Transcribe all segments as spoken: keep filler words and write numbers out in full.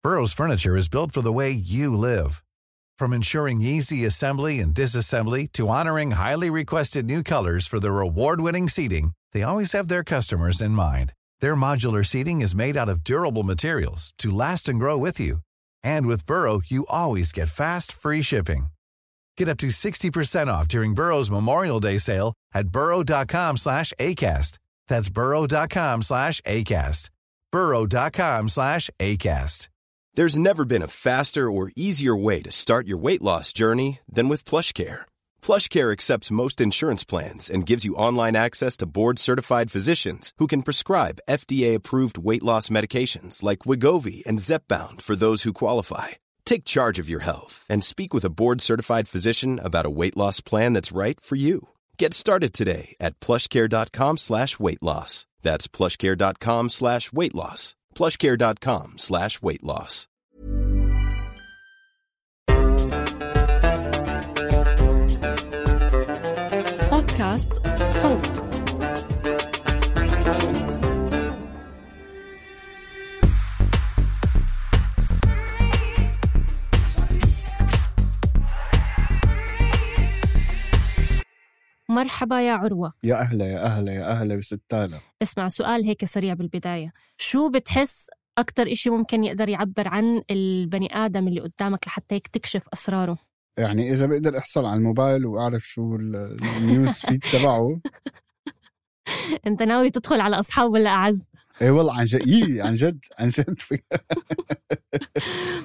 Burrow's furniture is built for the way you live. From ensuring easy assembly and disassembly to honoring highly requested new colors for their award-winning seating, they always have their customers in mind. Their modular seating is made out of durable materials to last and grow with you. And with Burrow, you always get fast, free shipping. Get up to sixty percent off during Burrow's Memorial Day sale at burrow.com slash ACAST. That's burrow.com slash ACAST. burrow.com slash ACAST. There's never been a faster or easier way to start your weight loss journey than with PlushCare. PlushCare accepts most insurance plans and gives you online access to board-certified physicians who can prescribe F D A-approved weight loss medications like Wegovy and Zepbound for those who qualify. Take charge of your health and speak with a board-certified physician about a weight loss plan that's right for you. Get started today at plushcare.com slash weight loss. That's plushcare.com slash weight loss. plushcare.com slash weight loss. بودكاست صوت. مرحبا يا عروة. يا أهلا يا أهلا يا أهلا بستالة. اسمع سؤال هيك سريع بالبداية، شو بتحس أكتر إشي ممكن يقدر يعبر عن البني آدم اللي قدامك لحتى هيك تكشف أسراره؟ يعني إذا بقدر أحصل على الموبايل وأعرف شو النيوز فيد تبعه. أنت ناوي تدخل على أصحاب ولا أعز؟ إيه والله عن جد، إيه عن جد عن جد.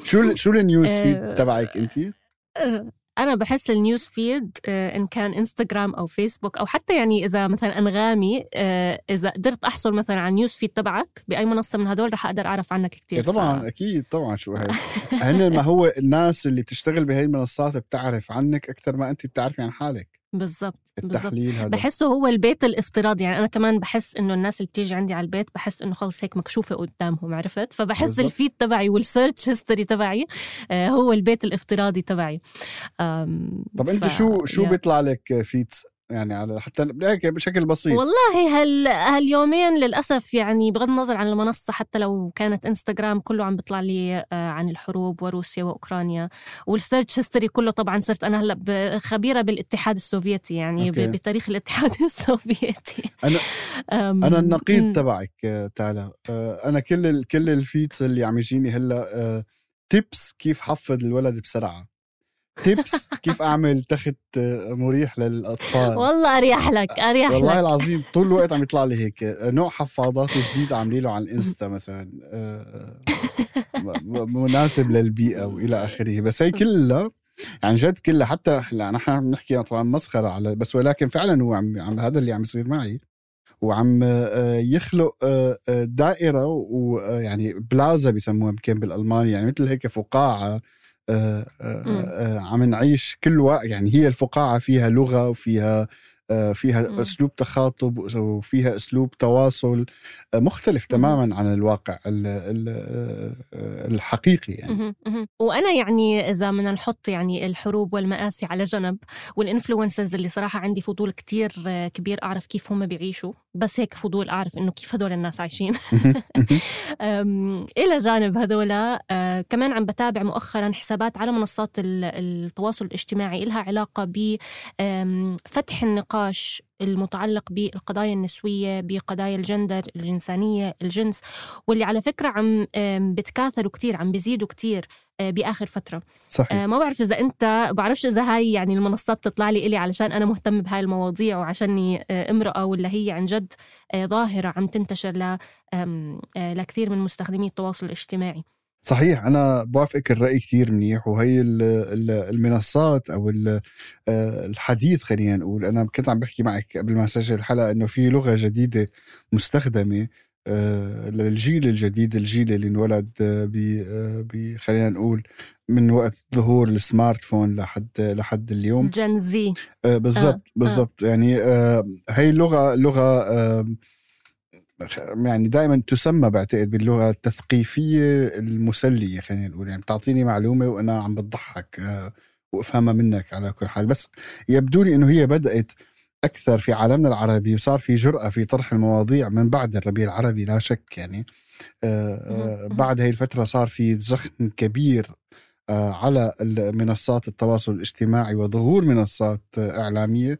شو شو النيوز فيد تبعك أنتي؟ أنا بحس النيوز فيد إن كان إنستغرام أو فيسبوك أو حتى يعني إذا مثلا أنغامي، إذا قدرت أحصل مثلا على النيوز فيد تبعك بأي منصة من هدول رح أقدر أعرف عنك كتير. طبعا ف... أكيد طبعا. شو هاي هن ما هو الناس اللي بتشتغل بهاي المنصات بتعرف عنك أكتر ما أنت بتعرفي عن حالك. بالضبط التحليل هذا بحسه هو البيت الافتراضي. يعني أنا كمان بحس إنه الناس اللي بتيجي عندي على البيت بحس إنه خلص هيك مكشوفة قدامهم، عرفت؟ فبحس بالزبط. الفيد تبعي والسيرش هيستوري تبعي هو البيت الافتراضي تبعي. طب أنت ف... شو شو يعني... بيطلع لك فيدز يعني على حتى بشكل بسيط؟ والله هال هاليومين للأسف يعني بغض النظر عن المنصة، حتى لو كانت إنستغرام كله عم بيطلع لي عن الحروب وروسيا وأوكرانيا، والسيرش هيستوري كله طبعا صرت أنا هلأ خبيرة بالاتحاد السوفيتي يعني أوكي. بتاريخ الاتحاد السوفيتي. أنا أنا النقيض م- تبعك تالا. أنا كل كل الفيدز اللي عم يجيني هلا تيبس كيف حفظ الولد بسرعة، تيبس كيف أعمل تخت مريح للأطفال. والله أريح لك أريح والله لك. العظيم طول الوقت عم يطلع لي هيك نوع حفاضات جديد عاملين له على الإنستا مثلا مناسب للبيئة وإلى آخره. بس هي كلها عن جد كلها، حتى لا نحن بنحكي طبعا مسخرة على بس، ولكن فعلا هو عم, عم هذا اللي عم يصير معي، وعم يخلق دائرة ويعني بلازا بيسموها يمكن بالألماني، يعني مثل هيك فقاعة آه آه آه عم نعيش كل وقت. يعني هي الفقاعة فيها لغة وفيها آه فيها م. أسلوب تخاطب وفيها أسلوب تواصل آه مختلف م. تماما عن الواقع ال ال الحقيقي يعني. م. م. وأنا يعني إذا بدنا نحط يعني الحروب والمآسي على جنب، والإنفلونسرز اللي صراحة عندي فضول كتير كبير أعرف كيف هم بيعيشوا، بس هيك فضول أعرف إنه كيف هدول الناس عايشين. إلى جانب هذولا آه كمان عم بتابع مؤخرا حسابات على منصات التواصل الاجتماعي إلها علاقة بفتح النقاش المتعلق بالقضايا النسوية، بقضايا الجندر، الجنسانية، الجنس، واللي على فكرة عم بتكاثروا كتير، عم بيزيدوا كتير بآخر فترة. صحيح. ما بعرف إذا أنت بعرفش إذا هاي يعني المنصات تطلع لي إلي علشان أنا مهتم بهاي المواضيع وعشاني امرأة، ولا هي عن جد ظاهرة عم تنتشر لكثير من مستخدمي التواصل الاجتماعي. صحيح، أنا بوافقك الرأي كتير منيح. وهي المنصات أو الحديث خلينا نقول، أنا كنت عم بحكي معك قبل ما أسجل الحلقة إنه في لغة جديدة مستخدمة للجيل الجديد، الجيل اللي انولد ب خلينا نقول من وقت ظهور السمارت فون لحد لحد اليوم، جنزي. بالضبط آه. بالضبط آه. يعني هي اللغة لغة يعني دائما تسمى بعتقد باللغة التثقيفية المسلية، خلينا نقول يعني بتعطيني معلومة وأنا عم بتضحك وأفهمها منك على كل حال. بس يبدو لي إنه هي بدأت أكثر في عالمنا العربي، وصار في جرأة في طرح المواضيع من بعد الربيع العربي لا شك يعني. بعد هاي الفترة صار في زخم كبير على منصات التواصل الاجتماعي وظهور منصات إعلامية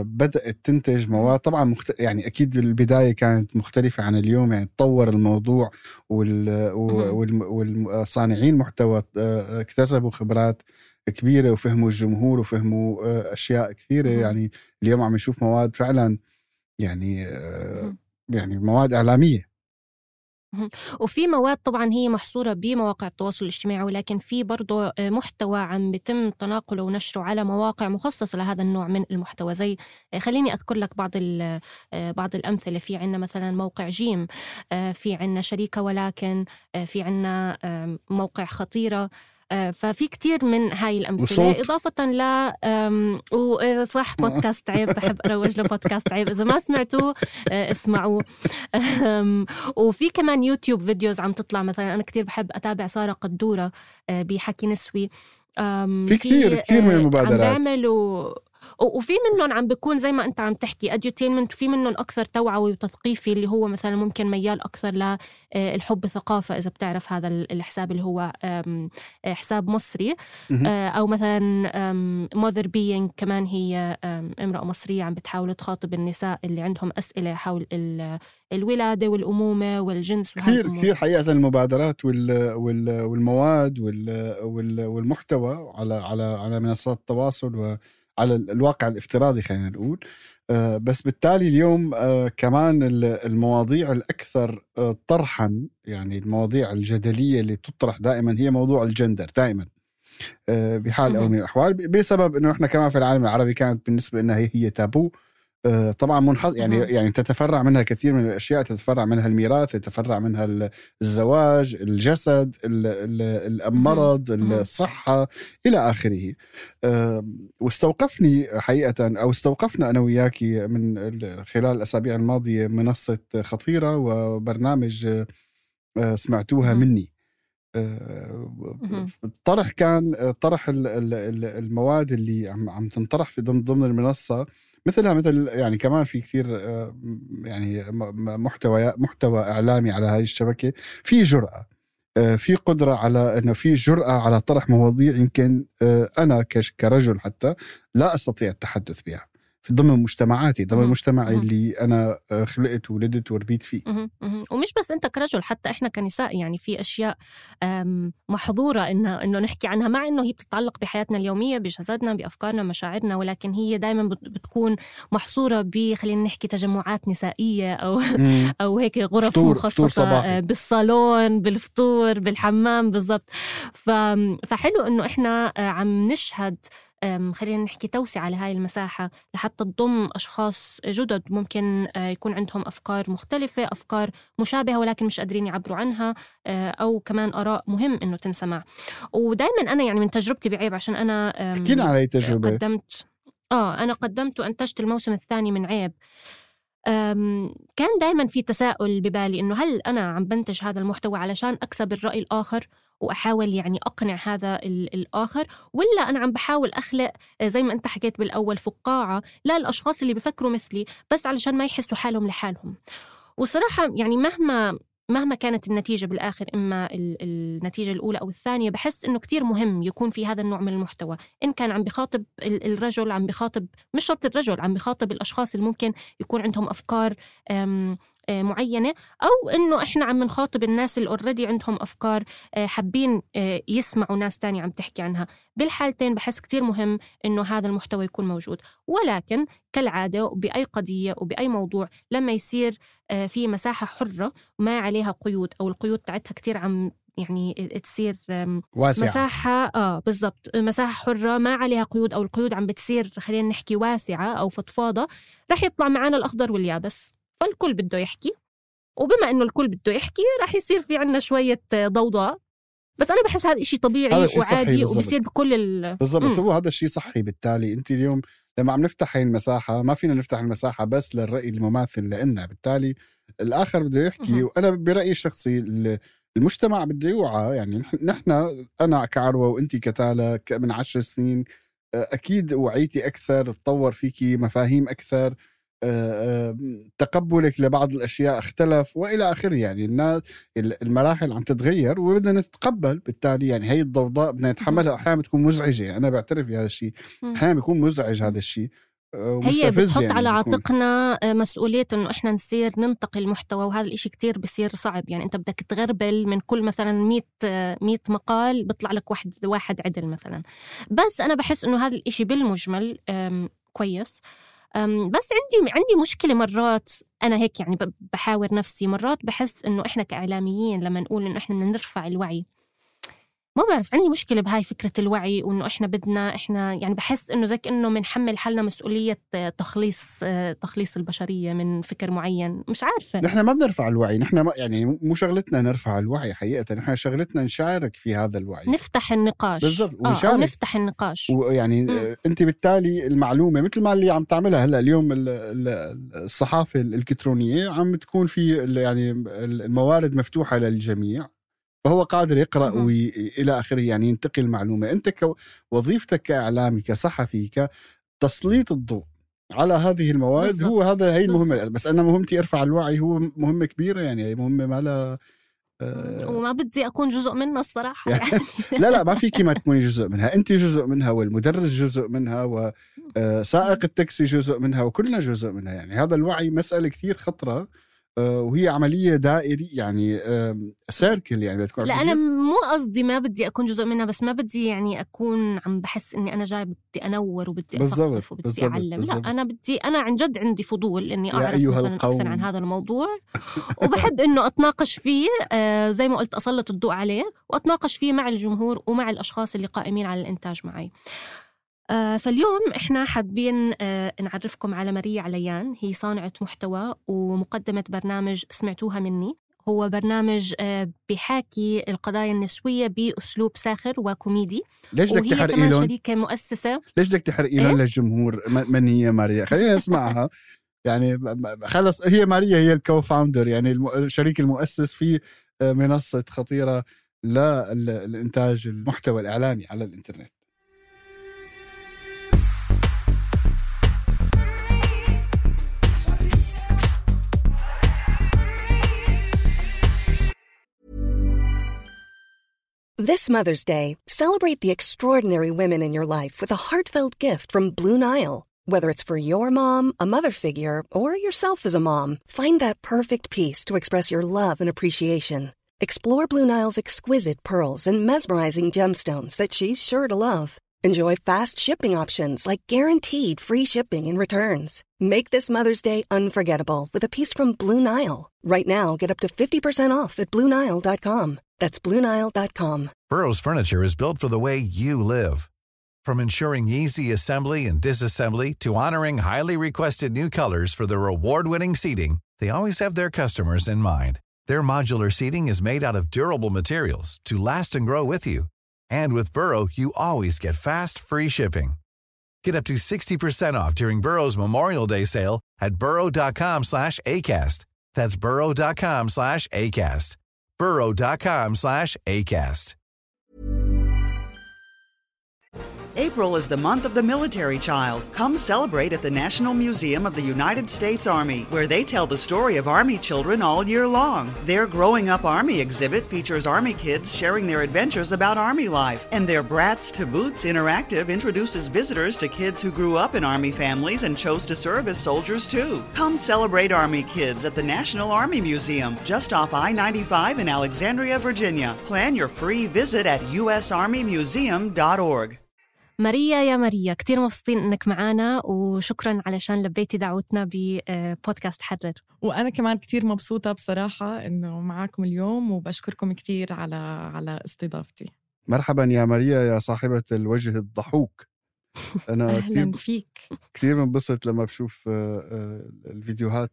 بدأت تنتج مواد طبعا مخت... يعني أكيد البداية كانت مختلفة عن اليوم، يعني تطور الموضوع وال... وال... والصانعين محتوى اكتسبوا خبرات كبيرة وفهموا الجمهور وفهموا أشياء كثيرة. يعني اليوم عم نشوف مواد فعلا يعني يعني مواد إعلامية. وفي مواد طبعا هي محصورة بمواقع التواصل الاجتماعي، ولكن في برضو محتوى عم بيتم تناقله ونشره على مواقع مخصصة لهذا النوع من المحتوى. زي خليني أذكر لك بعض بعض الأمثلة. في عنا مثلا موقع جيم، في عنا شريكة ولكن، في عنا موقع خطيرة. ففي كتير من هاي الأمثلة، وصوت. إضافة ل وصح بودكاست عيب، بحب أروج لبودكاست عيب، إذا ما سمعتوه اسمعوه. وفي كمان يوتيوب فيديوز عم تطلع، مثلا أنا كتير بحب أتابع سارة قدورة بحكي نسوي. في كتير كتير من المبادرات عم بيعملوا، وفي منهم عم بيكون زي ما أنت عم تحكي أديوتينمنت، وفي منهم أكثر توعوي وتثقيفي اللي هو مثلا ممكن ميال أكثر للحب ثقافة، إذا بتعرف هذا الحساب اللي هو حساب مصري. أو مثلا mother being، كمان هي امرأة مصرية عم بتحاول تخاطب النساء اللي عندهم أسئلة حول الولادة والأمومة والجنس. كثير كثير حقيقة المبادرات والمواد والمحتوى على على على منصات التواصل و على الواقع الافتراضي خلينا نقول. آه بس بالتالي اليوم آه كمان المواضيع الأكثر آه طرحا، يعني المواضيع الجدلية اللي تطرح دائما هي موضوع الجندر دائما آه بحال أو من الأحوال، بسبب أنه إحنا كمان في العالم العربي كانت بالنسبة لنا هي, هي تابو. آه طبعا منحط يعني يعني تتفرع منها كثير من الأشياء، تتفرع منها الميراث، تتفرع منها الزواج، الجسد، المرض، الصحة إلى آخره. آه واستوقفني حقيقة أو استوقفنا أنا وياكي من خلال الأسابيع الماضية منصة خطيرة وبرنامج آه سمعتوها مني. الطرح آه كان طرح المواد اللي عم عم تنطرح في ضمن ضمن المنصة، مثلها مثل يعني كمان في كثير يعني محتوى محتوى إعلامي على هاي الشبكة، في جرأة، في قدرة على إنه في جرأة على طرح مواضيع يمكن أنا كرجل حتى لا أستطيع التحدث بها في ضمن مجتمعاتي، ضمن مجتمعي اللي أنا خلقت وولدت وربيت فيه. ومش بس أنت كرجل، حتى إحنا كنساء يعني في أشياء محظورة إنه إنه نحكي عنها، مع إنه هي بتتعلق بحياتنا اليومية، بجسدنا، بأفكارنا، مشاعرنا، ولكن هي دائما بتكون محصورة ب خلينا نحكي تجمعات نسائية أو أو هيك غرف فطور مخصصة فطور بالصالون، بالفطور، بالحمام، بالضبط. فحلو إنه إحنا عم نشهد خلينا نحكي توسع على هاي المساحة لحتى تضم أشخاص جدد ممكن يكون عندهم أفكار مختلفة، أفكار مشابهة ولكن مش قادرين يعبروا عنها، أو كمان آراء مهم إنه تنسمع. ودايما أنا يعني من تجربتي بعيب، عشان أنا احكينا على هاي التجربة. قدمت آه أنا قدمت وأنتجت الموسم الثاني من عيب. كان دايما في تساؤل ببالي إنه هل أنا عم بنتج هذا المحتوى علشان أكسب الرأي الآخر وأحاول يعني أقنع هذا الآخر، ولا أنا عم بحاول أخلق زي ما أنت حكيت بالأول فقاعة لا الأشخاص اللي بفكروا مثلي بس علشان ما يحسوا حالهم لحالهم. وصراحة يعني مهما مهما كانت النتيجة بالآخر، إما النتيجة الأولى أو الثانية، بحس إنه كتير مهم يكون في هذا النوع من المحتوى، إن كان عم بخاطب الرجل، عم بخاطب مش شرط الرجل، عم بخاطب الأشخاص اللي ممكن يكون عندهم أفكار معينة، أو إنه إحنا عم نخاطب الناس اللي أوريدي عندهم أفكار حابين يسمعوا ناس تانية عم تحكي عنها. بالحالتين بحس كتير مهم إنه هذا المحتوى يكون موجود. ولكن كالعادة بأي قضية وبأي موضوع لما يصير في مساحة حرة ما عليها قيود، أو القيود تاعتها كتير عم يعني تصير واسعة. مساحة آه بالضبط مساحة حرة ما عليها قيود، أو القيود عم بتصير خلينا نحكي واسعة أو فضفاضة، رح يطلع معانا الأخضر واليابس. فالكل بده يحكي، وبما إنه الكل بده يحكي رح يصير في عنا شوية ضوضاء. بس أنا بحس هذا إشي طبيعي وعادي وبيصير بكل ال بالضبط. هو هذا الشيء صحي. بالتالي أنت اليوم لما عم نفتح هاي المساحة ما فينا نفتح المساحة بس للرأي المماثل لنا، بالتالي الآخر بده يحكي. م- وأنا برأيي الشخصي المجتمع بده يوعى. يعني نحن أنا كعروة وأنت كتالة من عشر سنين أكيد وعيتي أكثر، تطور فيكي مفاهيم أكثر، تقبلك لبعض الأشياء اختلف وإلى آخره. يعني الناس المراحل عم تتغير وبدنا نتقبل بالتالي. يعني هي الضوضاء بدنا نتحملها، أحيانا بتكون مزعجة. يعني أنا بعترف بهذا الشيء، أحيانا بيكون مزعج هذا الشيء، هي بتحط يعني على عاتقنا مسؤولية إنه إحنا نصير ننتقي المحتوى، وهذا الإشي كتير بصير صعب. يعني أنت بدك تغربل من كل مثلا مية مية مقال بيطلع لك واحد واحد عدل مثلا. بس أنا بحس إنه هذا الإشي بالمجمل كويس. بس عندي عندي مشكلة مرات، أنا هيك يعني بحاور نفسي مرات، بحس إنه إحنا كإعلاميين لما نقول إنه إحنا بدنا نرفع الوعي، ما بعرف، عندي مشكلة بهاي فكرة الوعي، وإنه إحنا بدنا إحنا يعني بحس إنه زي كأنه منحمل حالنا مسؤولية تخليص تخليص البشرية من فكر معين. مش عارفة، نحن ما بنرفع الوعي، نحن ما يعني مو شغلتنا نرفع الوعي حقيقة، نحن شغلتنا نشارك في هذا الوعي، نفتح النقاش بالضبط، آه أو نفتح النقاش. ويعني م. أنت بالتالي المعلومة مثل ما اللي عم تعملها هلأ اليوم الصحافة الإلكترونية عم تكون في يعني الموارد مفتوحة للجميع، فهو قادر يقرأ وإلى آخره، يعني ينتقل المعلومة. أنت كوظيفتك كإعلامي كصحفي كتسليط الضوء على هذه المواد، بالزبط. هو هذا هي المهمة. بس أنا مهمتي أرفع الوعي، هو مهمة كبيرة، يعني هي مهمة ما لا آه وما بدي أكون جزء منها الصراحة يعني. لا لا ما فيكي ما تكوني جزء منها، أنت جزء منها، والمدرس جزء منها، وسائق التاكسي جزء منها، وكلنا جزء منها. يعني هذا الوعي مسألة كتير خطرة، وهي عملية دائري يعني سيركل. يعني لا أنا مو قصدي ما بدي أكون جزء منها، بس ما بدي يعني أكون عم بحس إني أنا جاي بدي أنور وبدي أثقف وبدي بالزبط أعلم بالزبط. لا أنا بدي، أنا عن جد عندي فضول إني أعرف مثلا أكثر عن هذا الموضوع وبحب إنه أتناقش فيه، آه زي ما قلت أسلط الضوء عليه وأتناقش فيه مع الجمهور ومع الأشخاص اللي قائمين على الإنتاج معي. آه فاليوم إحنا حابين آه نعرفكم على ماريا عليان. هي صانعة محتوى ومقدمة برنامج سمعتوها مني. هو برنامج آه بيحاكي القضايا النسوية بأسلوب ساخر وكوميدي. ليش بدك تحرقي لهم؟ وهي كمان شريكة مؤسسة. ليش بدك تحرقي لهم إيه؟ للجمهور من هي ماريا؟ خلينا نسمعها. يعني خلص، هي ماريا هي الكو فاوندر، يعني الشريك المؤسس في منصة خطيرة للإنتاج المحتوى الإعلامي على الإنترنت. This Mother's Day, celebrate the extraordinary women in your life with a heartfelt gift from Blue Nile. Whether it's for your mom, a mother figure, or yourself as a mom, find that perfect piece to express your love and appreciation. Explore Blue Nile's exquisite pearls and mesmerizing gemstones that she's sure to love. Enjoy fast shipping options like guaranteed free shipping and returns. Make this Mother's Day unforgettable with a piece from Blue Nile. Right now, get up to fifty percent off at blue nile dot com. That's blue nile dot com. Burrow's furniture is built for the way you live. From ensuring easy assembly and disassembly to honoring highly requested new colors for their award-winning seating, they always have their customers in mind. Their modular seating is made out of durable materials to last and grow with you. And with Burrow, you always get fast, free shipping. Get up to sixty percent off during Burrow's Memorial Day sale at burrow.com slash ACAST. That's burrow.com slash ACAST. burrow.com slash ACAST. April is the month of the military child. Come celebrate at the National Museum of the United States Army, where they tell the story of Army children all year long. Their Growing Up Army exhibit features Army kids sharing their adventures about Army life, and their Brats to Boots interactive introduces visitors to kids who grew up in Army families and chose to serve as soldiers too. Come celebrate Army kids at the National Army Museum, just off I ninety-five in Alexandria, Virginia. Plan your free visit at u s army museum dot org. ماريا يا ماريا، كتير مبسوطين إنك معانا، وشكراً علشان لبيتي دعوتنا ببودكاست حرر. وأنا كمان كتير مبسوطة بصراحة إنه معاكم اليوم، وبشكركم كتير على على استضافتي. مرحباً يا ماريا يا صاحبة الوجه الضحوك. أنا أهلاً فيك. كتير منبسط لما بشوف الفيديوهات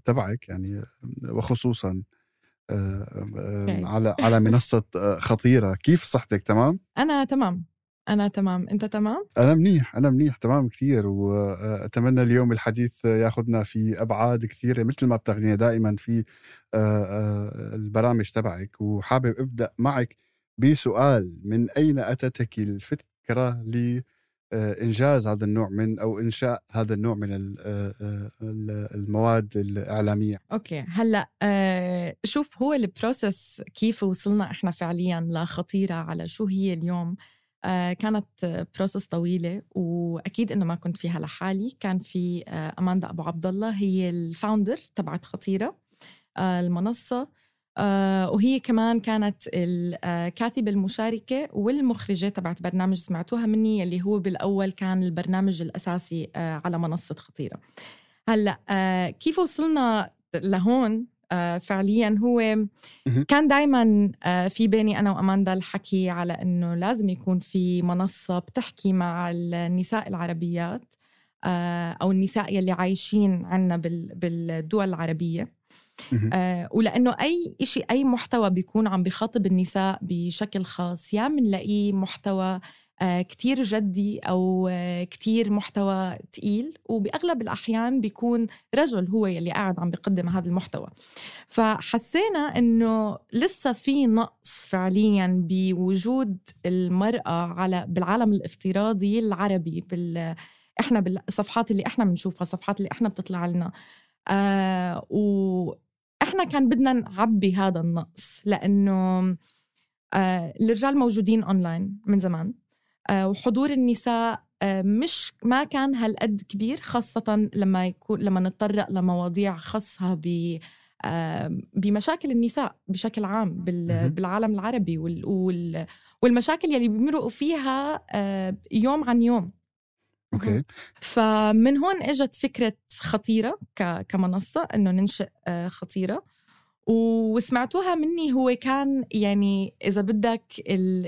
تبعك، يعني وخصوصاً على على منصة خطيرة. كيف صحتك؟ تمام؟ أنا تمام. أنا تمام. أنت تمام؟ أنا منيح أنا منيح تمام كتير. وأتمنى اليوم الحديث ياخدنا في أبعاد كثيرة مثل ما بتاخدينا دائما في البرامج تبعك. وحابب أبدأ معك بسؤال: من أين أتتك الفكرة إنجاز هذا النوع من أو إنشاء هذا النوع من المواد الإعلامية؟ أوكي هلأ آه شوف هو البروسس كيف وصلنا إحنا فعلياً لخطيرة على شو هي اليوم. آه كانت بروسس طويلة وأكيد إنه ما كنت فيها لحالي. كان في آه أماندا أبو عبد الله هي الفاوندر تبعت خطيرة آه المنصة، آه وهي كمان كانت الكاتبة المشاركة والمخرجة تبعت برنامج سمعتوها مني اللي هو بالأول كان البرنامج الأساسي آه على منصة خطيرة. هلأ آه كيف وصلنا لهون؟ آه فعلياً هو كان دايماً آه في بيني أنا وأماندا الحكي على أنه لازم يكون في منصة بتحكي مع النساء العربيات آه أو النساء يلي عايشين عنا بالدول العربية. آه ولأنه أي إشي أي محتوى بيكون عم بيخاطب النساء بشكل خاص يا منلاقيه محتوى آه كتير جدي أو آه كتير محتوى تقيل، وبأغلب الأحيان بيكون رجل هو يلي قاعد عم بيقدم هذا المحتوى. فحسينا إنه لسه في نقص فعلياً بوجود المرأة على بالعالم الافتراضي العربي بال إحنا بالصفحات اللي إحنا بنشوفها، الصفحات اللي إحنا بتطلع لنا. آه وإحنا كان بدنا نعبي هذا النقص لأنه آه الرجال موجودين أونلاين من زمان، آه وحضور النساء آه مش ما كان هالقد كبير، خاصة لما يكون لما نتطرق لمواضيع خاصة ب آه بمشاكل النساء بشكل عام بالعالم العربي وال وال والمشاكل يلي بيمرقوا فيها آه يوم عن يوم. أوكي. فمن هون اجت فكرة خطيرة كمنصة إنه ننشئ خطيرة، وسمعتوها مني. هو كان يعني إذا بدك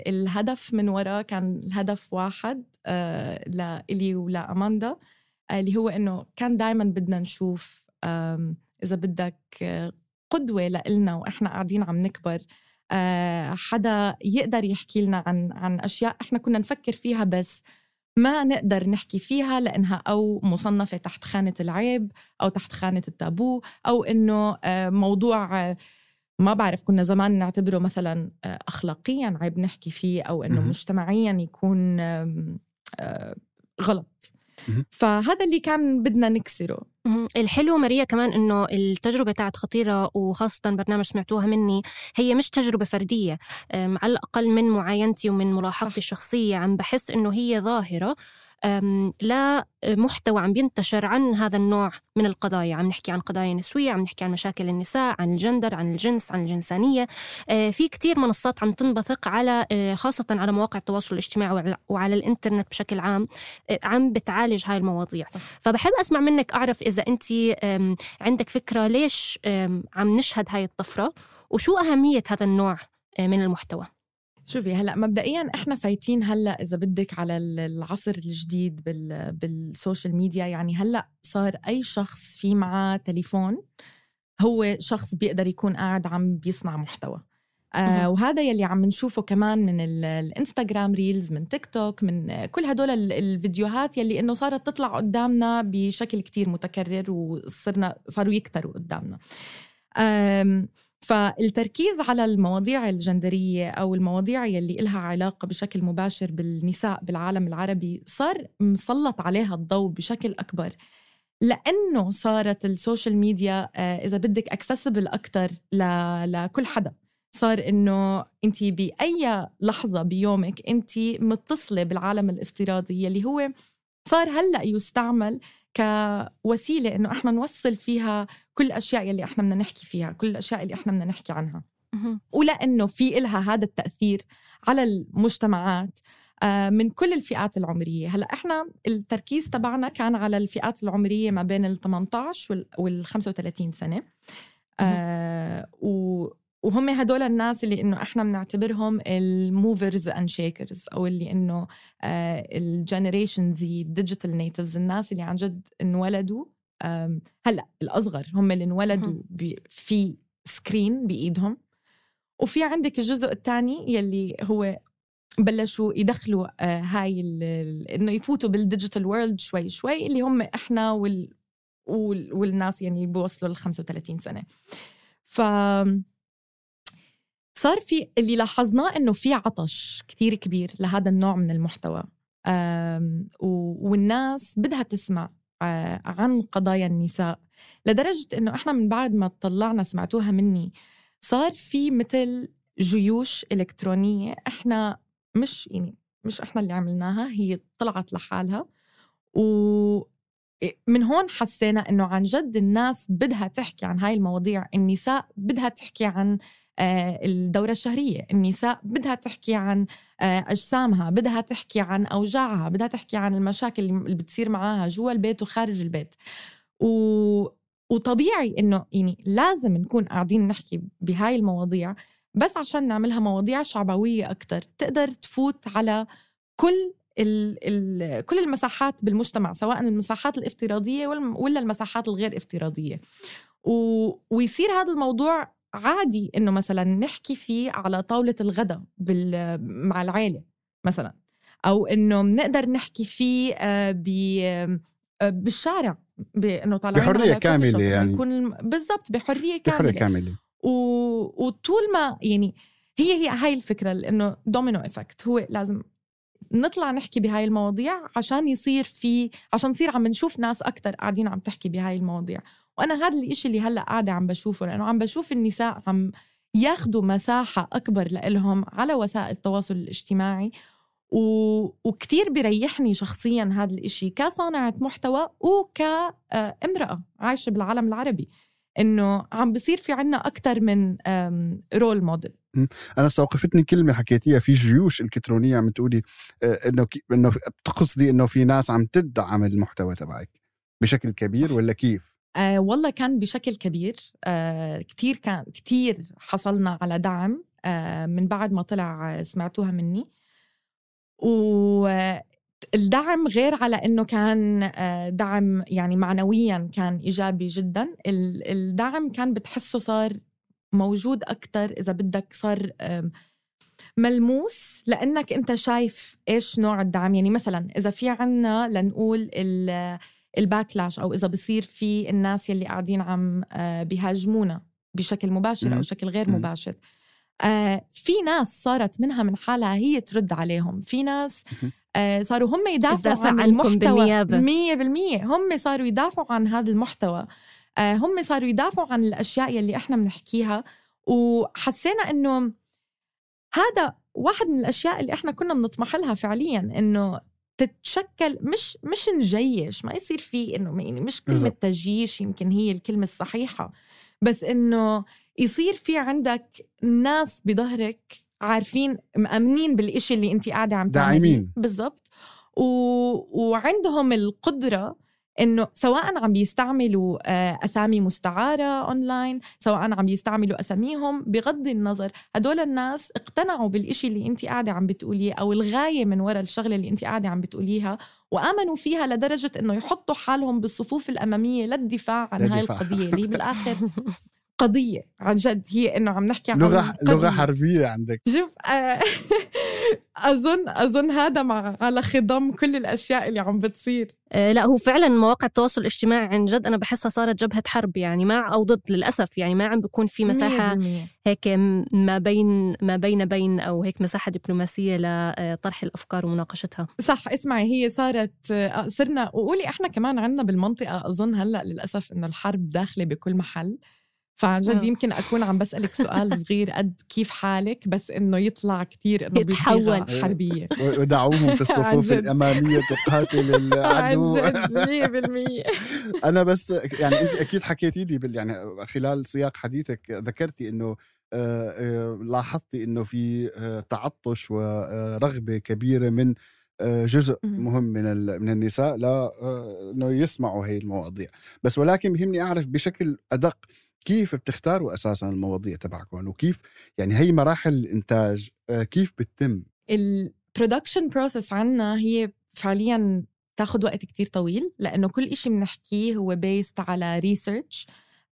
الهدف من وراء كان الهدف واحد لإلي ولا أماندا، اللي هو إنه كان دايماً بدنا نشوف إذا بدك قدوة لإلنا وإحنا قاعدين عم نكبر، حدا يقدر يحكي لنا عن عن أشياء إحنا كنا نفكر فيها بس ما نقدر نحكي فيها لأنها أو مصنفة تحت خانة العيب أو تحت خانة التابو، أو إنه موضوع ما بعرف كنا زمان نعتبره مثلاً أخلاقياً عيب نحكي فيه، أو إنه مجتمعياً يكون غلط. فهذا اللي كان بدنا نكسره. الحلو ماريا كمان إنه التجربة تاعت خطيرة وخاصة برنامج سمعتوها مني هي مش تجربة فردية، على الأقل من معاينتي ومن ملاحظتي الشخصية عم بحس إنه هي ظاهرة لا محتوى عم بينتشر عن هذا النوع من القضايا. عم نحكي عن قضايا نسوية، عم نحكي عن مشاكل النساء، عن الجندر، عن الجنس، عن الجنسانية. في كتير منصات عم تنبثق على خاصة على مواقع التواصل الاجتماعي وعلى الإنترنت بشكل عام عم بتعالج هاي المواضيع. فبحب أسمع منك، أعرف إذا أنت عندك فكرة ليش عم نشهد هاي الطفرة وشو أهمية هذا النوع من المحتوى. شوفي هلأ مبدئياً إحنا فايتين هلأ إذا بدك على العصر الجديد بال بالسوشيال ميديا. يعني هلأ صار أي شخص في معاه تليفون هو شخص بيقدر يكون قاعد عم بيصنع محتوى. آه وهذا يلي عم نشوفه كمان من الانستغرام ريلز، من تيك توك، من كل هدول الفيديوهات يلي إنه صارت تطلع قدامنا بشكل كتير متكرر وصرنا صاروا يكتروا قدامنا. آم فالتركيز على المواضيع الجندرية أو المواضيع يلي إلها علاقة بشكل مباشر بالنساء بالعالم العربي صار مسلط عليها الضوء بشكل أكبر، لأنه صارت السوشيال ميديا إذا بدك أكسسبل أكتر لكل حدا. صار إنه أنت بأي لحظة بيومك أنت متصلة بالعالم الافتراضي يلي هو صار هلأ يستعمل كوسيلة إنه إحنا نوصل فيها كل الأشياء يلي إحنا بدنا نحكي فيها، كل الأشياء اللي إحنا بدنا نحكي عنها. ولأنه في إلها هذا التأثير على المجتمعات من كل الفئات العمرية. هلأ إحنا التركيز تبعنا كان على الفئات العمرية ما بين ال ثمانية عشر وال خمسة وثلاثين سنة، آه و وهم هدول الناس اللي إنه إحنا بنعتبرهم الموفرز أند شيكرز، أو اللي إنه آه الجنريشن زي ديجيتال نيتيفز، الناس اللي عن جد انولدوا هلأ الأصغر هم اللي انولدوا في سكرين بإيدهم. وفي عندك الجزء الثاني يلي هو بلشوا يدخلوا آه هاي إنه يفوتوا بالديجيتال وورلد شوي شوي، اللي هم إحنا وال وال والناس يعني بيوصلوا للخمسة وثلاثين سنة. ف صار في اللي لاحظناه إنه في عطش كتير كبير لهذا النوع من المحتوى. والناس بدها تسمع عن قضايا النساء، لدرجة إنه إحنا من بعد ما طلعنا سمعتوها مني صار في مثل جيوش إلكترونية. إحنا مش يعني مش إحنا اللي عملناها، هي طلعت لحالها. ومن هون حسينا إنه عن جد الناس بدها تحكي عن هاي المواضيع. النساء بدها تحكي عن الدورة الشهرية، النساء بدها تحكي عن أجسامها، بدها تحكي عن أوجاعها، بدها تحكي عن المشاكل اللي بتصير معاها جوا البيت وخارج البيت. و... وطبيعي إنه يعني لازم نكون قاعدين نحكي بهاي المواضيع، بس عشان نعملها مواضيع شعبوية أكتر تقدر تفوت على كل ال ال كل المساحات بالمجتمع، سواء المساحات الافتراضية ولا المساحات الغير افتراضية. و... ويصير هذا الموضوع عادي إنه مثلا نحكي فيه على طاولة الغداء بال... مع العائلة مثلا، أو إنه نقدر نحكي فيه ب... بالشارع، بإنه طالعين بحرية كاملة يعني يكون بالضبط بحرية كاملة, بحرية كاملة. و... وطول ما يعني هي هي هاي الفكرة، لأنه دومينو إفكت، هو لازم نطلع نحكي بهاي المواضيع عشان يصير في عشان نصير عم نشوف ناس أكتر قاعدين عم تحكي بهاي المواضيع. وأنا هذا الإشي اللي هلأ قاعدة عم بشوفه، لأنه عم بشوف النساء عم ياخدوا مساحة أكبر لإلهم على وسائل التواصل الاجتماعي. و... وكتير بيريحني شخصياً هذا الإشي كصانعة محتوى وكامرأة عايشة بالعالم العربي، إنه عم بصير في عنا أكتر من رول موديل. أنا استوقفتني كلمة حكيتيها في جيوش إلكترونية، عم تقولي إنه إنه بتقصدي إنه في ناس عم تدعم المحتوى تبعك بشكل كبير ولا كيف؟ آه والله كان بشكل كبير. آه كتير كان كتير حصلنا على دعم آه من بعد ما طلع سمعتوها مني. والدعم غير على إنه كان دعم يعني معنوياً كان إيجابي جداً، الدعم كان بتحسه صار موجود أكتر، إذا بدك صار ملموس، لأنك أنت شايف إيش نوع الدعم. يعني مثلاً إذا في عنا لنقول الباكلاش، أو إذا بصير في الناس يلي قاعدين عم بيهاجمونا بشكل مباشر أو شكل غير مباشر، آه في ناس صارت منها من حالها هي ترد عليهم، في ناس آه صاروا هم يدافعوا عن المحتوى مية بالمية، هم صاروا يدافعوا عن هذا المحتوى، آه هم صاروا يدافعوا عن الأشياء يلي إحنا بنحكيها. وحسينا إنه هذا واحد من الأشياء اللي إحنا كنا بنطمح لها فعلياً، إنه تتشكل مش مش نجيش، ما يصير فيه إنه يعني مش كلمة تجيش يمكن هي الكلمة الصحيحة، بس إنه يصير في عندك ناس بظهرك عارفين مأمنين بالإشي اللي أنت قاعدة عم تعمليه بالضبط، و... وعندهم القدرة إنه سواء عم بيستعملوا أسامي مستعارة أونلاين، سواء عم بيستعملوا أساميهم، بغض النظر هدول الناس اقتنعوا بالإشي اللي أنت قاعدة عم بتقوليه أو الغاية من وراء الشغلة اللي أنت قاعدة عم بتقوليها، وآمنوا فيها لدرجة إنه يحطوا حالهم بالصفوف الأمامية للدفاع عن هاي القضية اللي بالآخر قضية عن جد، هي إنه عم نحكي عن لغة لغة حربية عندك. شوف أظن أظن هذا مع على خضم كل الأشياء اللي عم بتصير. أه لا، هو فعلا مواقع التواصل الاجتماعي عن جد أنا بحسها صارت جبهة حرب، يعني مع أو ضد للأسف، يعني ما عم بيكون في مساحة هيك ما بين ما بين بين أو هيك مساحة دبلوماسية لطرح الأفكار ومناقشتها. صح. اسمعي، هي صارت صرنا وقولي إحنا كمان عنا بالمنطقة أظن هلأ للأسف إنه الحرب داخلة بكل محل، فعن جد يمكن أكون عم بسألك سؤال صغير قد كيف حالك، بس إنه يطلع كتير إنه بصيغة حربية. ودعوهم في الصفوف الأمامية تقاتل العدو. عن جد مية بالمية. أنا بس يعني أنت أكيد حكيتي لي بال يعني خلال سياق حديثك ذكرتي إنه لاحظتي إنه في تعطش ورغبة كبيرة من جزء مهم من من النساء لا إنه يسمعوا هاي المواضيع، بس ولكن بهمني أعرف بشكل أدق كيف بتختاروا أساساً المواضيع تبعكم، وكيف يعني هي مراحل الإنتاج كيف بتتم؟ البرودكشن بروسس عنا هي فعلياً تاخد وقت كتير طويل، لأنه كل إشي بنحكيه هو بيست على ريسيرش،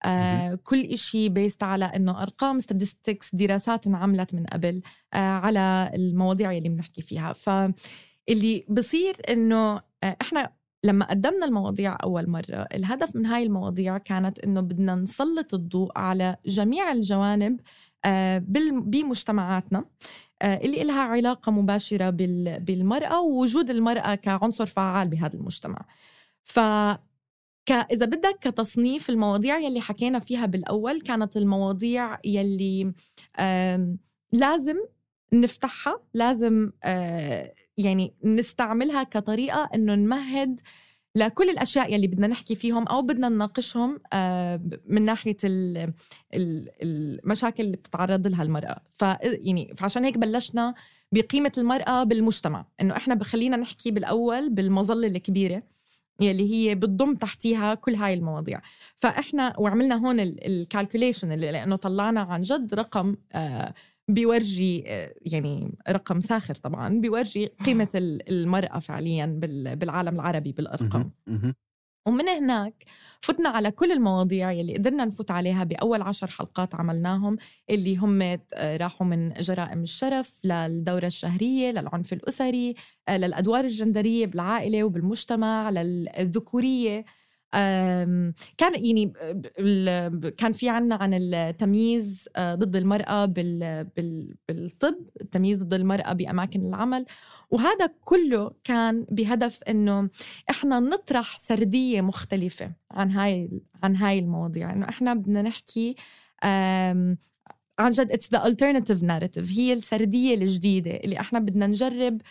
آه كل إشي بيست على إنه أرقام statistics، دراسات انعملت من قبل آه على المواضيع اللي بنحكي فيها. فاللي بصير إنه آه إحنا لما قدمنا المواضيع أول مرة، الهدف من هاي المواضيع كانت إنه بدنا نسلط الضوء على جميع الجوانب بمجتمعاتنا اللي إلها علاقة مباشرة بالمرأة ووجود المرأة كعنصر فعال بهذا المجتمع. ف إذا بدك كتصنيف المواضيع يلي حكينا فيها بالأول، كانت المواضيع يلي لازم نفتحها، لازم يعني نستعملها كطريقة إنه نمهد لكل الأشياء يلي بدنا نحكي فيهم أو بدنا نناقشهم من ناحية المشاكل اللي بتتعرض لها المرأة. ف يعني فعشان هيك بلشنا بقيمة المرأة بالمجتمع، إنه إحنا بخلينا نحكي بالأول بالمظلة الكبيرة يلي هي بتضم تحتيها كل هاي المواضيع. فإحنا وعملنا هون الكالكوليشن اللي لأنه طلعنا عن جد رقم آه بيورجي آه يعني رقم ساخر طبعا، بيورجي قيمة المرأة فعليا بالعالم العربي بالأرقام. ومن هناك فتنا على كل المواضيع يلي قدرنا نفوت عليها بأول عشر حلقات عملناهم، اللي هم راحوا من جرائم الشرف للدورة الشهرية، للعنف الأسري، للأدوار الجندرية بالعائلة وبالمجتمع، للذكورية. كان يعني كان في عنا عن التمييز ضد المرأة بالطب، التمييز ضد المرأة بأماكن العمل. وهذا كله كان بهدف إنه إحنا نطرح سردية مختلفة عن هاي عن هاي المواضيع، إنه إحنا بدنا نحكي عن جد it's the alternative narrative، هي السردية الجديدة اللي إحنا بدنا نجرب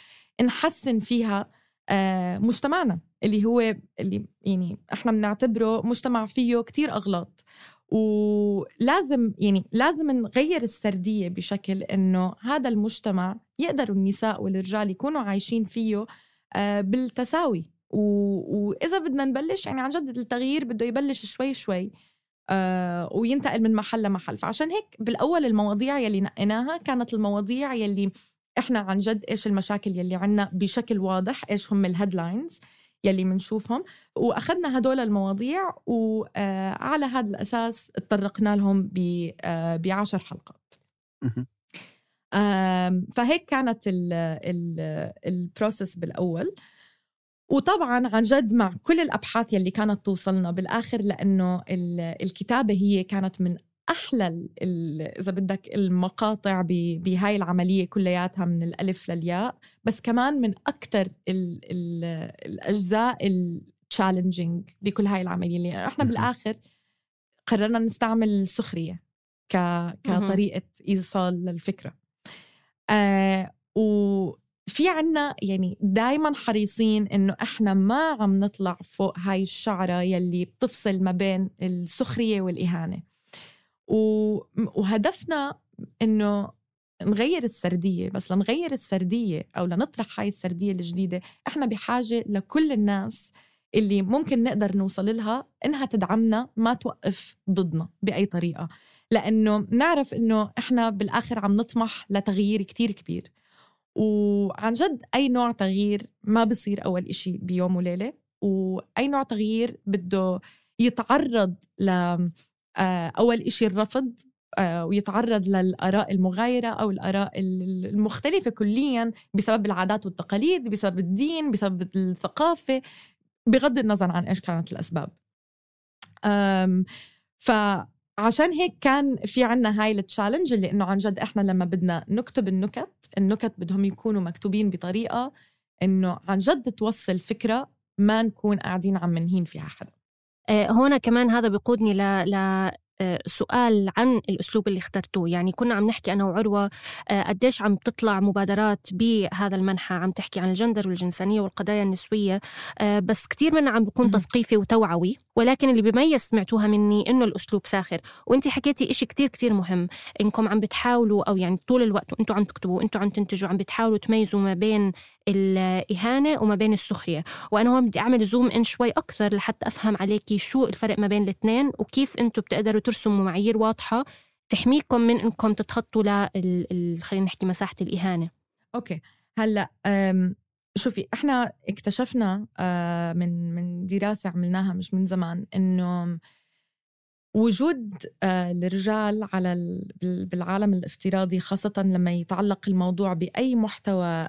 نحسن فيها مجتمعنا، اللي هو اللي يعني إحنا بنعتبره مجتمع فيه كتير أغلاط. ولازم يعني لازم نغير السردية بشكل إنه هذا المجتمع يقدروا النساء والرجال يكونوا عايشين فيه بالتساوي. وإذا بدنا نبلش يعني عن جد التغيير بده يبلش شوي شوي وينتقل من محل لمحل. فعشان هيك بالأول المواضيع يلي نقيناها كانت المواضيع يلي إحنا عن جد إيش المشاكل يلي عنا بشكل واضح، إيش هم الهيدلاينز يلي منشوفهم، وأخذنا هدول المواضيع وعلى هذا الأساس اتطرقنا لهم بعشر حلقات. فهيك كانت البروسيس بالأول. وطبعاً عن جد مع كل الأبحاث يلي كانت توصلنا بالآخر، لأنه الكتابة هي كانت من أحلى إذا بدك المقاطع بهاي العملية كلياتها من الألف للياء، بس كمان من أكتر ال ال الأجزاء التشالنجينج بكل هاي العملية، اللي إحنا بالآخر قررنا نستعمل السخرية ك كطريقة إيصال للفكرة. آه وفي عنا يعني دايما حريصين إنه إحنا ما عم نطلع فوق هاي الشعرة يلي بتفصل ما بين السخرية والإهانة. وهدفنا إنه نغير السردية، بس لنغير السردية أو لنطرح هاي السردية الجديدة إحنا بحاجة لكل الناس اللي ممكن نقدر نوصل لها إنها تدعمنا، ما توقف ضدنا بأي طريقة، لأنه نعرف إنه إحنا بالآخر عم نطمح لتغيير كتير كبير. وعن جد أي نوع تغيير ما بصير أول إشي بيوم وليلة، وأي نوع تغيير بده يتعرض ل أول إشي الرفض، ويتعرض للآراء المغايرة أو الآراء المختلفة كلياً بسبب العادات والتقاليد، بسبب الدين، بسبب الثقافة، بغض النظر عن إيش كانت الأسباب. فعشان هيك كان في عنا هاي التشالنج، اللي إنه عن جد إحنا لما بدنا نكتب النكت النكت بدهم يكونوا مكتوبين بطريقة إنه عن جد توصل فكرة، ما نكون قاعدين عم منهين فيها حدا. هنا كمان هذا بيقودني ل... ل... سؤال عن الأسلوب اللي اخترتوه. يعني كنا عم نحكي أنا وعروة قديش عم تطلع مبادرات بهذا المنحى عم تحكي عن الجندر والجنسانية والقضايا النسوية، بس كتير منها عم بيكون تثقيفي وتوعوي، ولكن اللي بيميز سمعتوها مني إنه الأسلوب ساخر. وإنتي حكيتي إشي كتير كتير مهم، إنكم عم بتحاولوا أو يعني طول الوقت وإنتوا عم تكتبوا وإنتوا عم تنتجوا عم بتحاولوا تميزوا ما بين الإهانة وما بين السخرية. وأنا هون بدي أعمل زوم إن شوي أكثر لحتى أفهم عليكي شو الفرق ما بين الاثنين، وكيف أنتوا بتقدروا ترسموا معايير واضحة تحميكم من إنكم تتخطوا ل خلينا نحكي مساحة الإهانة. أوكي هلأ شوفي، إحنا اكتشفنا من من دراسة عملناها مش من زمان إنه وجود الرجال على بالعالم الافتراضي، خاصة لما يتعلق الموضوع بأي محتوى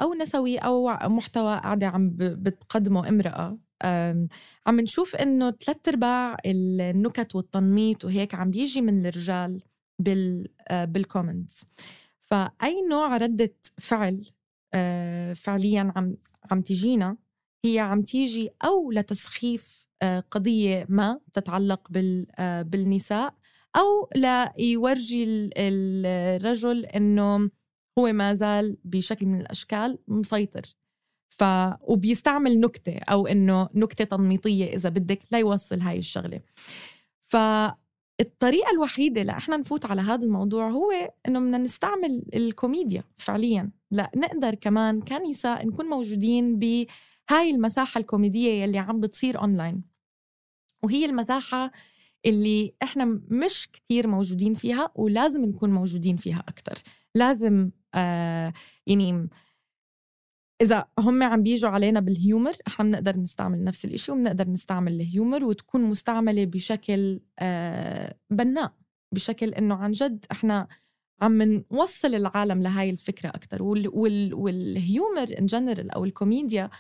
أو نسوي أو محتوى قاعدة عم بتقدمه امرأة، عم نشوف إنه ثلاث أرباع النكت والتنميط وهيك عم بيجي من الرجال بال بالكومنتس. فأي نوع ردة فعل آه فعليا عم عم تجينا هي عم تيجي أو لتسخيف آه قضية ما تتعلق بال آه بالنساء، أو ليورجي الرجل إنه هو ما زال بشكل من الأشكال مسيطر، ف وبيستعمل نكتة أو إنه نكتة تنميطية إذا بدك لا يوصل هاي الشغلة. فالطريقة الوحيدة لإحنا نفوت على هذا الموضوع هو إنه بدنا نستعمل الكوميديا فعليا، لا نقدر كمان كنساء نكون موجودين بهاي المساحة الكوميدية يلي عم بتصير أونلاين، وهي المساحة اللي إحنا مش كتير موجودين فيها ولازم نكون موجودين فيها أكتر. لازم آه يعني إذا هم عم بيجوا علينا بالهيومر إحنا بنقدر نستعمل نفس الإشي وبنقدر نستعمل الهيومر وتكون مستعملة بشكل آه بناء، بشكل إنه عن جد إحنا عم نوصل العالم لهاي الفكرة أكتر. وال وال والهيومر إن جنرال أو الكوميديا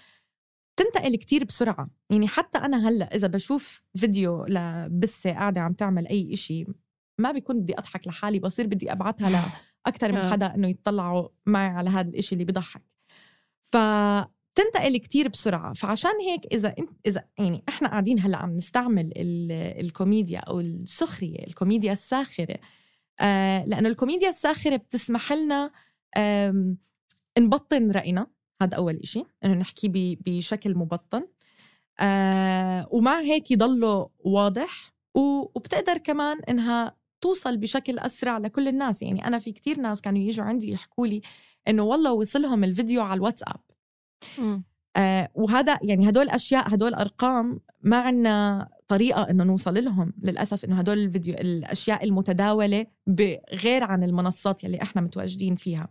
تنتقل كتير بسرعة. يعني حتى أنا هلأ إذا بشوف فيديو لبسة قاعدة عم تعمل أي إشي ما بيكون بدي أضحك لحالي، بصير بدي أبعتها لأكتر من حدا إنه يطلعوا معي على هذا الإشي اللي بيضحك. فتنتقل كتير بسرعة. فعشان هيك إذا إذا يعني إحنا قاعدين هلأ عم نستعمل الكوميديا أو السخرية، الكوميديا الساخرة، آه لأنه الكوميديا الساخرة بتسمح لنا آه نبطن رأينا. هذا أول إشي، إنه نحكي بشكل مبطن، آه ومع هيك يضله واضح، وبتقدر كمان إنها توصل بشكل أسرع لكل الناس. يعني أنا في كتير ناس كانوا يجوا عندي يحكوا لي إنه والله وصلهم الفيديو على الواتساب. آه وهذا يعني هدول أشياء، هدول أرقام ما عنا طريقة إنه نوصل لهم للأسف. إنه هدول الفيديو الأشياء المتداولة بغير عن المنصات يلي إحنا متواجدين فيها.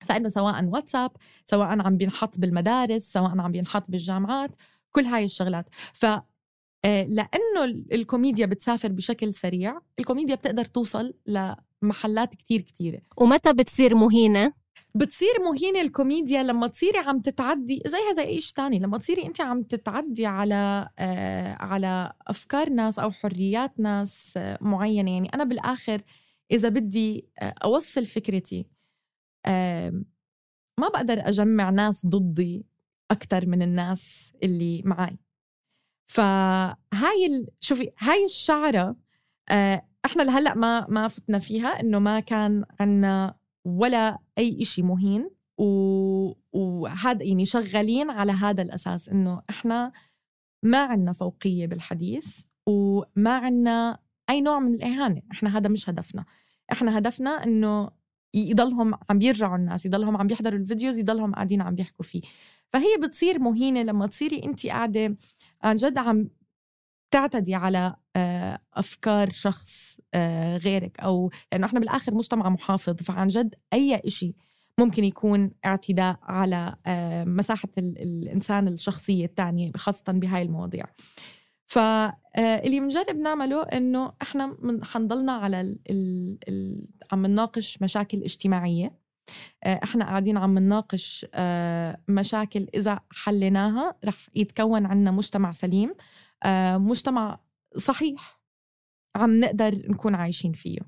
فإنه سواء واتساب، سواء عم بينحط بالمدارس، سواء عم بينحط بالجامعات، كل هاي الشغلات. ف لأنه الكوميديا بتسافر بشكل سريع، الكوميديا بتقدر توصل لمحلات كتير كتيرة. ومتى بتصير مهينة؟ بتصير مهينة الكوميديا لما تصيري عم تتعدي زيها زي إيش تاني، لما تصيري أنت عم تتعدي على آه على أفكار ناس أو حريات ناس آه معينة. يعني أنا بالآخر إذا بدي آه أوصل فكرتي، آه ما بقدر أجمع ناس ضدي أكتر من الناس اللي معي. فهاي ال... شوفي هاي الشعرة آه احنا لهلأ ما ما فتنا فيها، انه ما كان عنا ولا اي اشي مهين، و... وهذا يعني شغالين على هذا الاساس انه احنا ما عنا فوقية بالحديث وما عنا اي نوع من الاهانة. احنا هذا مش هدفنا. احنا هدفنا انه يضلهم عم بيرجعوا الناس، يضلهم عم بيحضروا الفيديوز، يضلهم قاعدين عم بيحكوا فيه. فهي بتصير مهينة لما تصيري انت قاعدة عن جد عم تعتدي على أفكار شخص غيرك، أو لأنه إحنا بالآخر مجتمع محافظ، فعن جد أي إشي ممكن يكون اعتداء على مساحة الإنسان الشخصية التانية، خاصة بهاي المواضيع. فاللي منجرب نعمله إنه إحنا حنضلنا على ال ال ال عم نناقش مشاكل اجتماعية. احنا قاعدين عم نناقش مشاكل إذا حليناها رح يتكون عنا مجتمع سليم، مجتمع صحيح عم نقدر نكون عايشين فيه.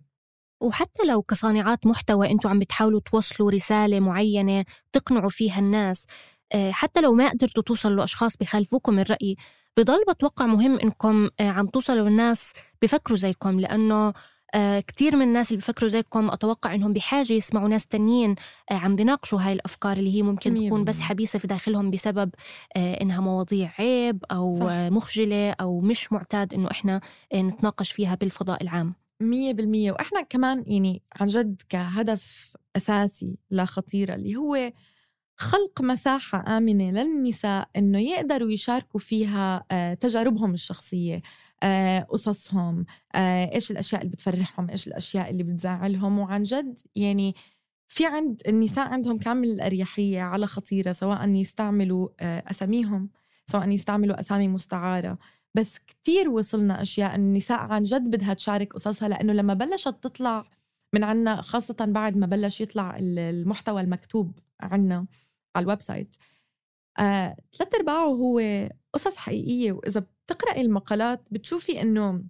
وحتى لو كصانعات محتوى انتوا عم بتحاولوا توصلوا رسالة معينة تقنعوا فيها الناس، حتى لو ما قدرتوا توصلوا لأشخاص بخالفوكم الرأي، بضل بتوقع مهم انكم عم توصلوا للناس بفكروا زيكم، لأنه آه كتير من الناس اللي بيفكروا زيكم أتوقع إنهم بحاجة يسمعوا ناس تانيين آه عم بيناقشوا هاي الأفكار اللي هي ممكن مية تكون بس حبيسة في داخلهم بسبب آه إنها مواضيع عيب أو آه مخجلة أو مش معتاد إنه إحنا آه نتناقش فيها بالفضاء العام. مية بالمية. وإحنا كمان يعني عن جد كهدف أساسي لا خطيرة اللي هو خلق مساحة آمنة للنساء إنه يقدروا يشاركوا فيها آه تجاربهم الشخصية، آه قصصهم، آه إيش الأشياء اللي بتفرحهم، إيش الأشياء اللي بتزعلهم. وعن جد يعني في عند النساء عندهم كامل الأريحية على خطيرة، سواء يستعملوا آه أساميهم، سواء يستعملوا أسامي مستعارة. بس كتير وصلنا أشياء النساء عن جد بدها تشارك قصصها، لأنه لما بلشت تطلع من عنا، خاصة بعد ما بلش يطلع المحتوى المكتوب عنا على الويب سايت، آه، ثلاث أرباعه هو قصص حقيقية. وإذا بتقرأي المقالات بتشوفي إنه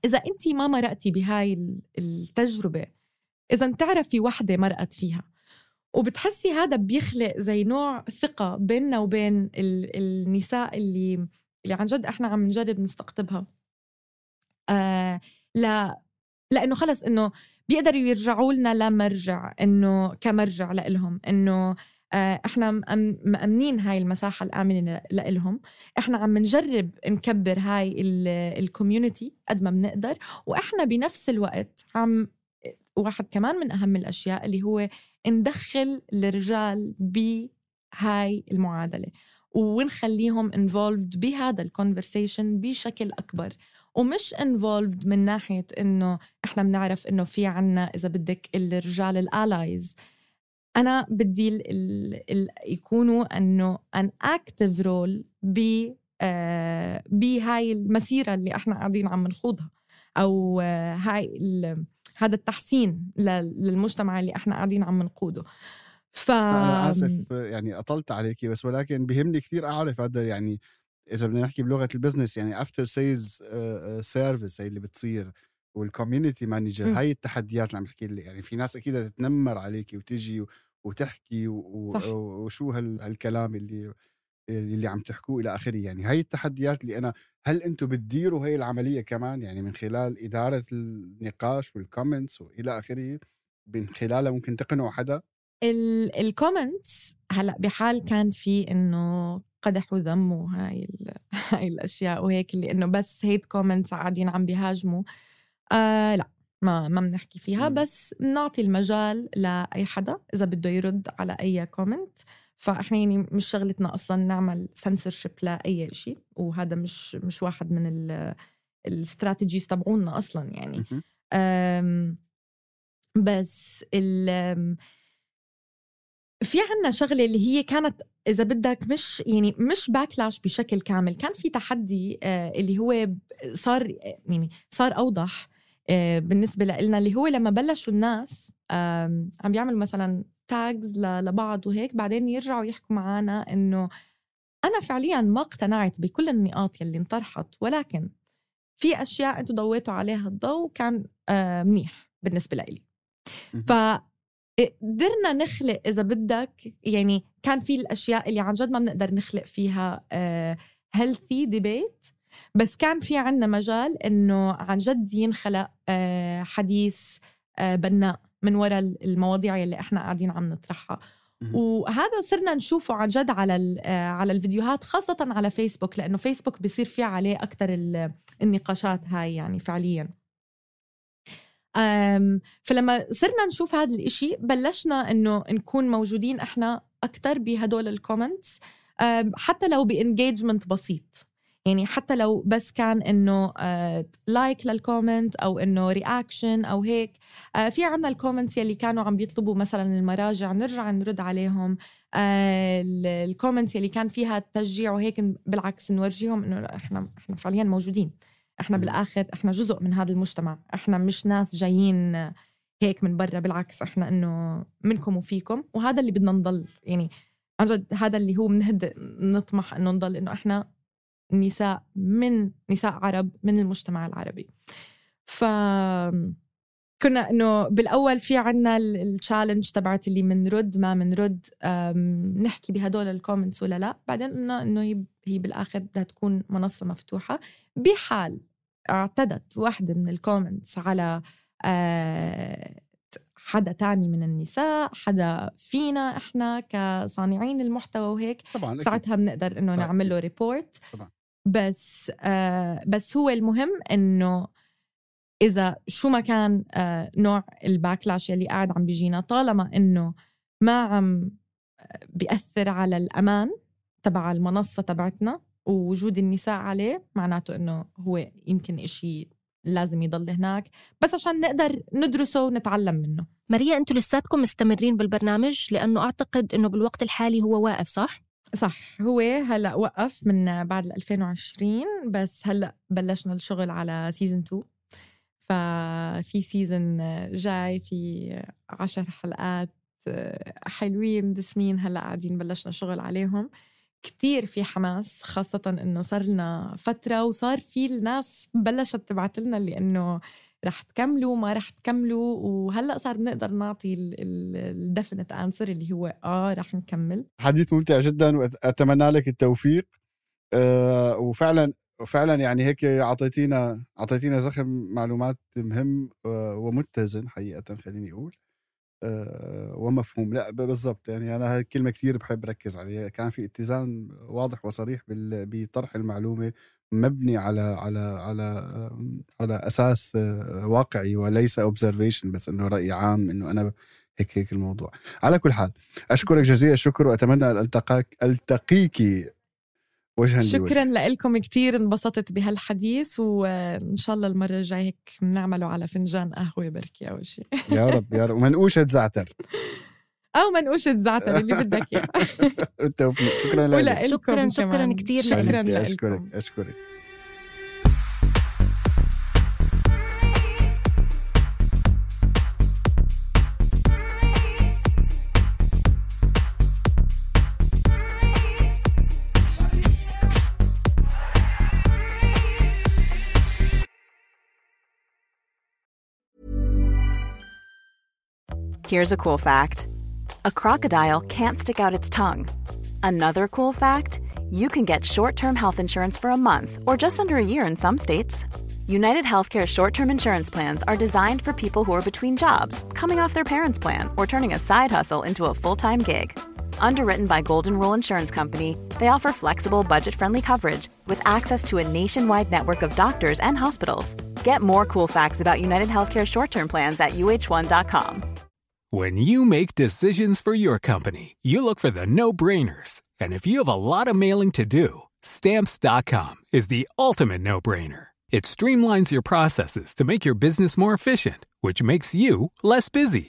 إذا أنتي ما مرقتي بهاي التجربة إذا بتعرفي وحدة مرقت فيها، وبتحسي هذا بيخلق زي نوع ثقة بيننا وبين ال- النساء اللي اللي عن جد إحنا عم نجرب نستقطبها. آه لا لأنه خلص إنه بيقدروا يرجعوا لنا لمرجع، إنه كمرجع لإلهم، إنه آه إحنا مأمنين هاي المساحة الآمنة لإلهم. إحنا عم نجرب نكبر هاي الكوميونيتي قد ما بنقدر، وإحنا بنفس الوقت عم واحد كمان من أهم الأشياء اللي هو ندخل الرجال بهاي المعادلة ونخليهم involved بهذا الكونفرسيشن بشكل أكبر، ومش involved من ناحية إنه إحنا بنعرف إنه في عنا إذا بدك الرجال الاليز. أنا بدي ال ال ال يكونوا إنه an active role ب آه بهاي المسيرة اللي إحنا قاعدين عم نخوضها، أو آه هاي هذا التحسين للمجتمع اللي إحنا قاعدين عم نقوده. ف أنا آسف يعني أطلت عليكي، بس ولكن بيهمني كتير أعرف هذا، يعني إذا بدنا نحكي بلغة البزنس، يعني after sales service هي اللي بتصير والcommunity manager، هاي التحديات اللي عم بحكي لي. يعني في ناس أكيد تتنمر عليكي وتجي وتحكي وشو هالكلام اللي اللي عم تحكوه إلى آخره. يعني هاي التحديات اللي أنا، هل أنتوا بتديروا هاي العملية كمان، يعني من خلال إدارة النقاش والكومنتس وإلى آخره، من خلالها ممكن تقنعوا حدا؟ الكومنتس هلأ بحال كان في إنه قدح وذم وهاي هاي الأشياء وهيك، اللي إنه بس هيت كومنتس قاعدين عم بيهاجموا، آه لا ما ما بنحكي فيها. م. بس نعطي المجال لأي حدا إذا بده يرد على أي كومنت. فإحنا يعني مش شغلتنا أصلاً نعمل censorship لأي شيء، وهذا مش مش واحد من ال الاستراتيجيز تبعونا أصلاً يعني. أم بس ال في عنا شغلة اللي هي كانت إذا بدك مش يعني مش باكلاش بشكل كامل، كان في تحدي آه اللي هو صار يعني صار أوضح آه بالنسبة لنا، اللي هو لما بلشوا الناس آه عم بيعملوا مثلا تاجز لبعض وهيك، بعدين يرجعوا يحكوا معنا إنه أنا فعليا ما اقتنعت بكل النقاط يلي انطرحت، ولكن في أشياء أنتوا ضويتوا عليها الضوء كان آه منيح بالنسبة لي. ف قدرنا نخلق إذا بدك، يعني كان في الأشياء اللي عن جد ما بنقدر نخلق فيها uh, healthy debate، بس كان في عنا مجال إنه عن جد ينخلق uh, حديث uh, بناء من وراء المواضيع اللي إحنا قاعدين عم نطرحها. وهذا صرنا نشوفه عن جد على uh, على الفيديوهات، خاصة على فيسبوك، لأنه فيسبوك بيصير فيه عليه أكتر النقاشات هاي يعني فعلياً. أم فلما صرنا نشوف هذا الاشي بلشنا انه نكون موجودين احنا اكتر بهدول الكومنتس، حتى لو بانجيجمنت بسيط، يعني حتى لو بس كان انه لايك للكومنت او انه رياكشن او هيك. في عنا الكومنتس يلي كانوا عم بيطلبوا مثلا المراجع نرجع نرد عليهم، الكومنتس يلي كان فيها تشجيع وهيك بالعكس نورجيهم انه احنا احنا فعليا موجودين، احنا بالآخر احنا جزء من هذا المجتمع، احنا مش ناس جايين هيك من برا، بالعكس احنا انه منكم وفيكم، وهذا اللي بدنا نضل يعني عن جد، هذا اللي هو بنهد نطمح انه نضل، انه احنا نساء من نساء عرب من المجتمع العربي. ف كنا انه بالاول في عنا التشالنج تبعت اللي منرد ما منرد نحكي بهدول الكومنتس ولا لا، بعدين قلنا انه هي هي بالاخر بدها تكون منصه مفتوحه. بحال اعتدت واحده من الكومنتس على حدا تاني من النساء، حدا فينا احنا كصانعين المحتوى وهيك، طبعا ساعتها بنقدر انه نعمل له ريبورت. طبعا. بس آه بس هو المهم انه إذا شو ما كان آه نوع الباكلاش اللي قاعد عم بيجينا، طالما إنه ما عم بيأثر على الأمان تبع المنصة تبعتنا ووجود النساء عليه، معناته إنه هو يمكن إشي لازم يضل هناك بس عشان نقدر ندرسه ونتعلم منه. ماريا، أنتوا لساتكم مستمرين بالبرنامج؟ لأنه أعتقد إنه بالوقت الحالي هو واقف، صح؟ صح، هو هلأ وقف من بعد ألفين وعشرين، بس هلأ بلشنا الشغل على سيزن تو. ففي سيزن جاي في عشر حلقات حلوين دسمين، هلأ قاعدين بلشنا شغل عليهم كتير، في حماس، خاصة إنه صار لنا فترة وصار في الناس بلشت تبعت لنا اللي إنه رح تكملوا ما رح تكملوا؟ وهلأ صار بنقدر نعطي الديفينيت آنسر اللي هو آه رح نكمل. حديث ممتع جدا وأتمنى لك التوفيق. أه وفعلا وفعلا يعني هيك عطيتينا عطيتينا زخم معلومات مهم ومتزن حقيقة، خليني أقول أه ومفهوم. لا بالضبط، يعني أنا هاي الكلمة كتير بحب ركز عليها. كان في اتزان واضح وصريح بطرح المعلومة مبني على على على على أساس واقعي وليس observation بس إنه رأي عام إنه أنا هيك هيك الموضوع. على كل حال أشكرك جزيل الشكر وأتمنى أن ألتقاك ألتقيكي وجها شكرا لكم كتير، انبسطت بهالحديث وإن شاء الله المرة الجاية هيك بنعمله على فنجان قهوة بركي أو شيء. يا رب يا رب. ومنقوشة زعتر أو منقوشة زعتر اللي بدك إياه. التوفيق. شكرا لك. شكرا شكرا كتير شكرا لك. لكم. أشكرك أشكرك. Here's a cool fact. A crocodile can't stick out its tongue. Another cool fact, you can get short-term health insurance for a month or just under a year in some states. United Healthcare short-term insurance plans are designed for people who are between jobs, coming off their parents' plan, or turning a side hustle into a full-time gig. Underwritten by Golden Rule Insurance Company, they offer flexible, budget-friendly coverage with access to a nationwide network of doctors and hospitals. Get more cool facts about United Healthcare short-term plans at U H one dot com. When you make decisions for your company, you look for the no-brainers. And if you have a lot of mailing to do, Stamps dot com is the ultimate no-brainer. It streamlines your processes to make your business more efficient, which makes you less busy.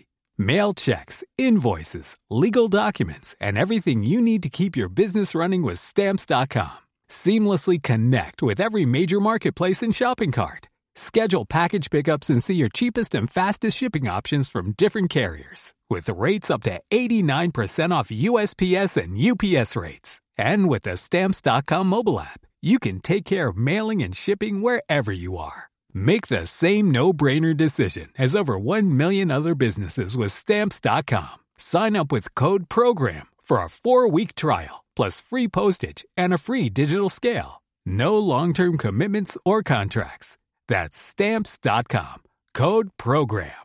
Mail checks, invoices, legal documents, and everything you need to keep your business running with Stamps dot com. Seamlessly connect with every major marketplace and shopping cart. Schedule package pickups and see your cheapest and fastest shipping options from different carriers. With rates up to eighty-nine percent off U S P S and U P S rates. And with the Stamps dot com mobile app, you can take care of mailing and shipping wherever you are. Make the same no-brainer decision as over one million other businesses with Stamps dot com. Sign up with code PROGRAM for a four-week trial, plus free postage and a free digital scale. No long-term commitments or contracts. That's Stamps dot com. Code PROGRAM.